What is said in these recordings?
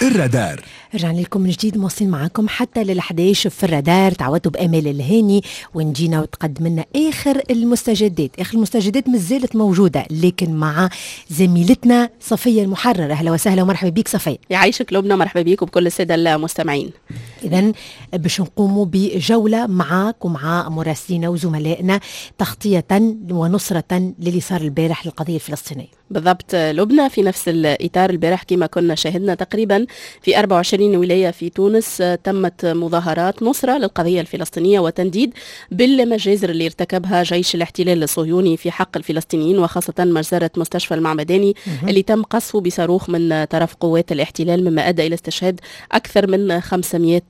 الرادار. رجعنا لكم من جديد، مواصلين معاكم حتى لل11 في الرادار. تعودتوا بامال الهاني ونجينا وتقدم لنا اخر المستجدات. اخر المستجدات مازالت موجوده، لكن مع زميلتنا صفيه المحرر. اهلا وسهلا ومرحبا بك صفيه. يعيشك لبنى، مرحبا بك وبكل السادة المستمعين. اذا باش نقوموا بجولة معاك ومع مراسلينا وزملائنا تغطيه ونصره للي صار البارح للقضية الفلسطينية. بالضبط لبنى، في نفس الاطار البارح كما كنا شاهدنا تقريبا في 24 ولاية في تونس تمت مظاهرات نصره للقضية الفلسطينية وتنديد بالمجازر اللي ارتكبها جيش الاحتلال الصهيوني في حق الفلسطينيين، وخاصة مجزرة مستشفى المعمداني اللي تم قصفه بصاروخ من طرف قوات الاحتلال، مما ادى الى استشهاد اكثر من 500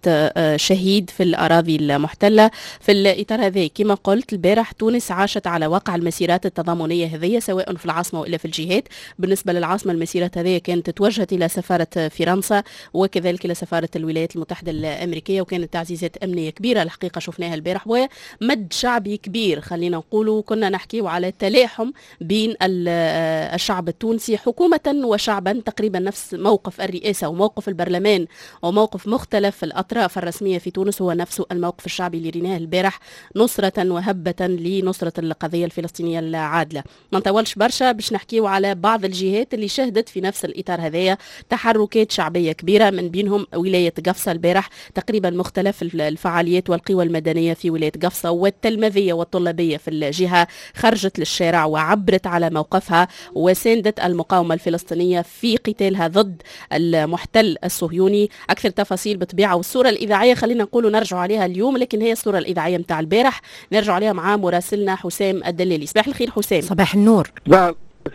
شهيد في الاراضي المحتلة. في الاطار هذا كما قلت البارح تونس عاشت على وقع المسيرات التضامنيه هذه، سواء في العاصمة والا في الجهات. بالنسبة للعاصمة المسيرات هذه كانت توجهت إلى سفارة فرنسا وكذلك إلى سفارة الولايات المتحدة الأمريكية، وكانت تعزيزات أمنية كبيرة الحقيقة شفناها البارح ومد شعبي كبير. خلينا نقولوا كنا نحكي على تلاحم بين الشعب التونسي حكومة وشعبا، تقريبا نفس موقف الرئاسة وموقف البرلمان وموقف مختلف الأطراف الرسمية في تونس هو نفس الموقف الشعبي اللي ريناه البارح، نصرة وهبة لنصرة القضية الفلسطينية العادلة. ما نطولش برشا باش نحكيو على بعض الجهات اللي شهدت في نفس الإطار هذايا تحركات شعبية كبيرة، من بينهم ولاية قفصة البارح تقريبا مختلف الفعاليات والقوى المدنية في ولاية قفصة والتلمذية والطلابية في الجهة خرجت للشارع وعبرت على موقفها وساندت المقاومة الفلسطينية في قتالها ضد المحتل الصهيوني. أكثر تفاصيل بطبيعة والصورة الإذاعية خلينا نقولوا نرجع عليها اليوم، لكن هي الصورة الإذاعية متاع البارح نرجع عليها مع مراسلنا حسام الدلالي. صباح الخير حسام. صباح النور.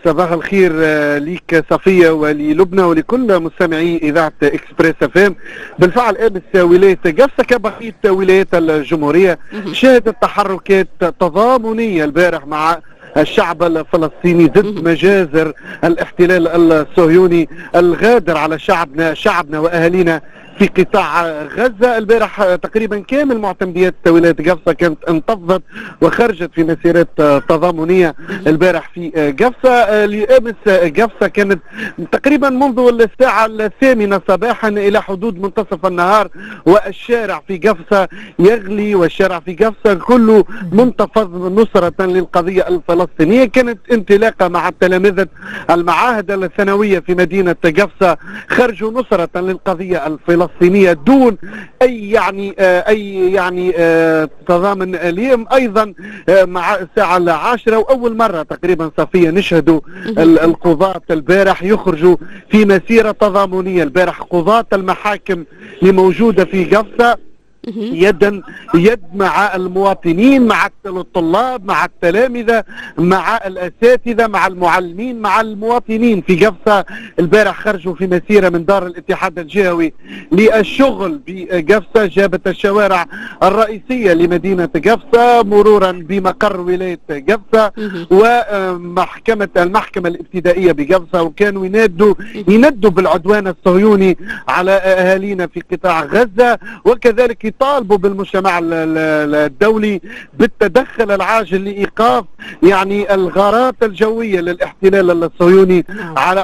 صباح الخير ليك صفية وللبنى ولكل مستمعي إذاعة إكسبريس FM. بالفعل أمس ولاية قفصة كبقية ولايات الجمهورية شهدت تحركات تضامنية البارح مع الشعب الفلسطيني ضد مجازر الاحتلال الصهيوني الغادر على شعبنا وأهالينا في قطاع غزة. البارح تقريبا كامل معتمديات ولاية قفصة كانت انتفضت وخرجت في مسيرات تضامنية البارح في قفصة. لأمس قفصة كانت تقريبا منذ الساعة 8 صباحا إلى حدود منتصف النهار والشارع في قفصة يغلي، والشارع في قفصة كله منتفض نصرة للقضية الفلسطينية. كانت انطلاقة مع تلامذة المعاهد الثانوية في مدينة قفصة، خرجوا نصرة للقضية الفلسطينية دون اي يعني تضامن اليوم. ايضا مع الساعة 10 واول مرة تقريبا صفيه نشهدوا القضاة البارح يخرجوا في مسيره تضامنيه. البارح قضاة المحاكم اللي موجودة في قفصه يدا يد مع المواطنين، مع الطلاب، مع التلامذة، مع الأساتذة، مع المعلمين، مع المواطنين في قفصة. البارح خرجوا في مسيرة من دار الاتحاد الجهوي للشغل بقفصة، جابت الشوارع الرئيسية لمدينة قفصة مرورا بمقر ولاية قفصة ومحكمة المحكمة الابتدائية بقفصة، وكانوا يندوا بالعدوان الصهيوني على أهالينا في قطاع غزة، وكذلك طالبوا بالمجتمع الدولي بالتدخل العاجل لإيقاف يعني الغارات الجوية للاحتلال الصهيوني على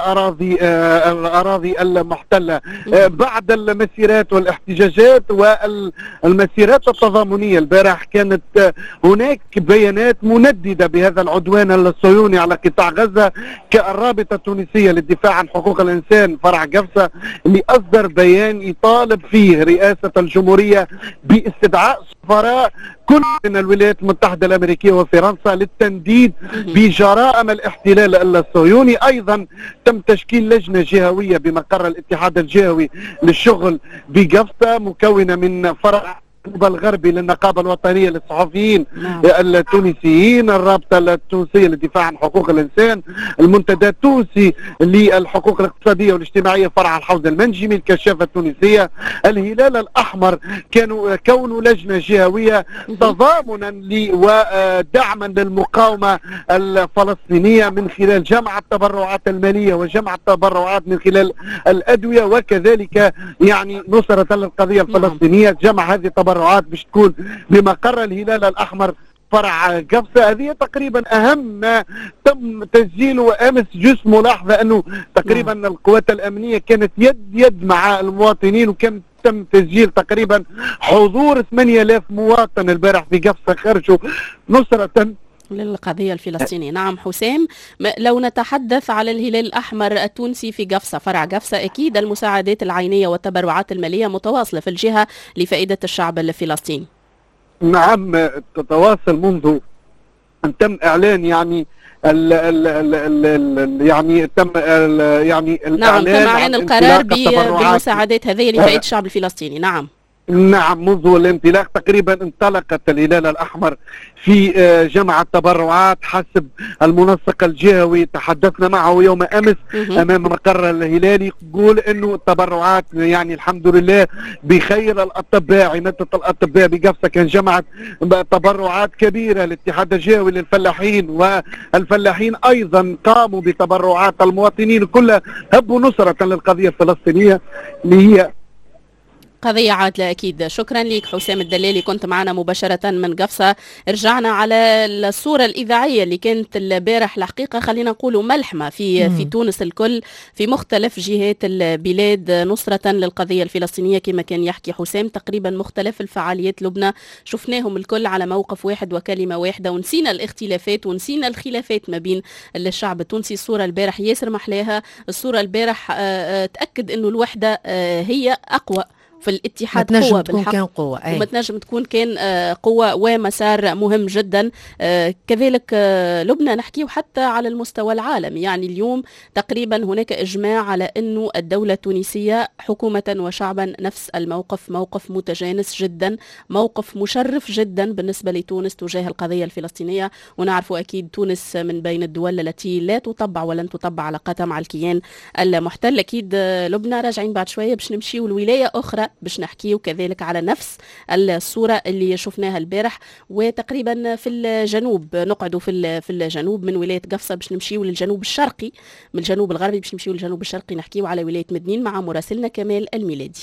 الأراضي المحتلة. بعد المسيرات والاحتجاجات والمسيرات التضامنية البارح كانت هناك بيانات منددة بهذا العدوان الصهيوني على قطاع غزة، كالرابطة التونسية للدفاع عن حقوق الإنسان فرع قفصة اللي أصدر بيان يطالب فيه رئاسة الجمهورية باستدعاء سفراء كل من الولايات المتحدة الأمريكية وفرنسا للتنديد بجرائم الاحتلال الصهيوني. أيضا تم تشكيل لجنة جهوية بمقر الاتحاد الجهوي للشغل بقفصة مكونة من فرع الغربي للنقابة الوطنية للصحفيين التونسيين، الرابطة التونسية للدفاع عن حقوق الإنسان، المنتدى التونسي للحقوق الاقتصادية والاجتماعية فرع الحوض المنجمي، الكشافة التونسية، الهلال الأحمر. كانوا كونوا لجنة جهوية تضامنا ودعما للمقاومة الفلسطينية من خلال جمع التبرعات المالية وجمع التبرعات من خلال الأدوية، وكذلك يعني نصرة للقضية الفلسطينية. جمع هذه التبرعات باش تكون بمقر الهلال الأحمر فرع قفصة. هذه تقريبا أهم ما تم تسجيله أمس. juste ملاحظة أنه تقريبا القوات الأمنية كانت يد يد مع المواطنين، وكان تم تسجيل تقريبا حضور 8000 مواطن البارح في قفصة خرجوا نصرة للقضية الفلسطينية. نعم حسام، لو نتحدث على الهلال الأحمر التونسي في قفصة، فرع قفصة، أكيد المساعدات العينية والتبرعات المالية متواصلة في الجهة لفائدة الشعب الفلسطيني. نعم تتواصل منذ أن تم إعلان يعني ال ال ال ال يعني تم ال يعني نعم تم إعلان القرار بالمساعدات هذه لفائدة الشعب الفلسطيني. نعم نعم، منذ الانطلاق تقريبا انطلقت الهلال الأحمر في جمع التبرعات حسب المنسق الجهوي تحدثنا معه يوم أمس أمام مقر الهلال، يقول أنه التبرعات يعني الحمد لله بخير. الأطباء، عمادة الأطباء بقفصة كان جمعت تبرعات كبيرة، الاتحاد الجهوي للفلاحين والفلاحين أيضا قاموا بتبرعات، المواطنين كلها هبوا نصرة للقضية الفلسطينية اللي هي قضية عادلة أكيد. شكرا لك حسام الدلالي، كنت معنا مباشرة من قفصة. رجعنا على الصورة الإذاعية اللي كانت البارح، الحقيقة خلينا نقولوا ملحمة في تونس الكل، في مختلف جهات البلاد، نصرة للقضية الفلسطينية كما كان يحكي حسام. تقريبا مختلف الفعاليات لبنى شفناهم الكل على موقف واحد وكلمة واحدة، ونسينا الاختلافات ونسينا الخلافات ما بين الشعب التونسي. الصورة البارح ياسر محلاها، الصورة البارح تأكد أنه الوحدة هي أقوى في الاتحاد، قوة بالحق، كان قوة. أي. وما تنجم تكون كان قوة ومسار مهم جدا. كذلك لبنى نحكيه حتى على المستوى العالمي، يعني اليوم تقريبا هناك إجماع على أنه الدولة التونسية حكومة وشعبا نفس الموقف، موقف متجانس جدا، موقف مشرف جدا بالنسبة لتونس تجاه القضية الفلسطينية. ونعرف أكيد تونس من بين الدول التي لا تطبع ولن تطبع علاقاتها مع الكيان المحتل. أكيد لبنى راجعين بعد شوية باش نمشيو لولاية أخرى باش نحكيو كذلك على نفس الصورة اللي شفناها البارح، وتقريبا في الجنوب، نقعدوا في الجنوب من ولاية قفصة باش نمشيو للجنوب الشرقي، من الجنوب الغربي باش نمشيو للجنوب الشرقي، نحكيو على ولاية مدنين مع مراسلنا كمال الميلادي.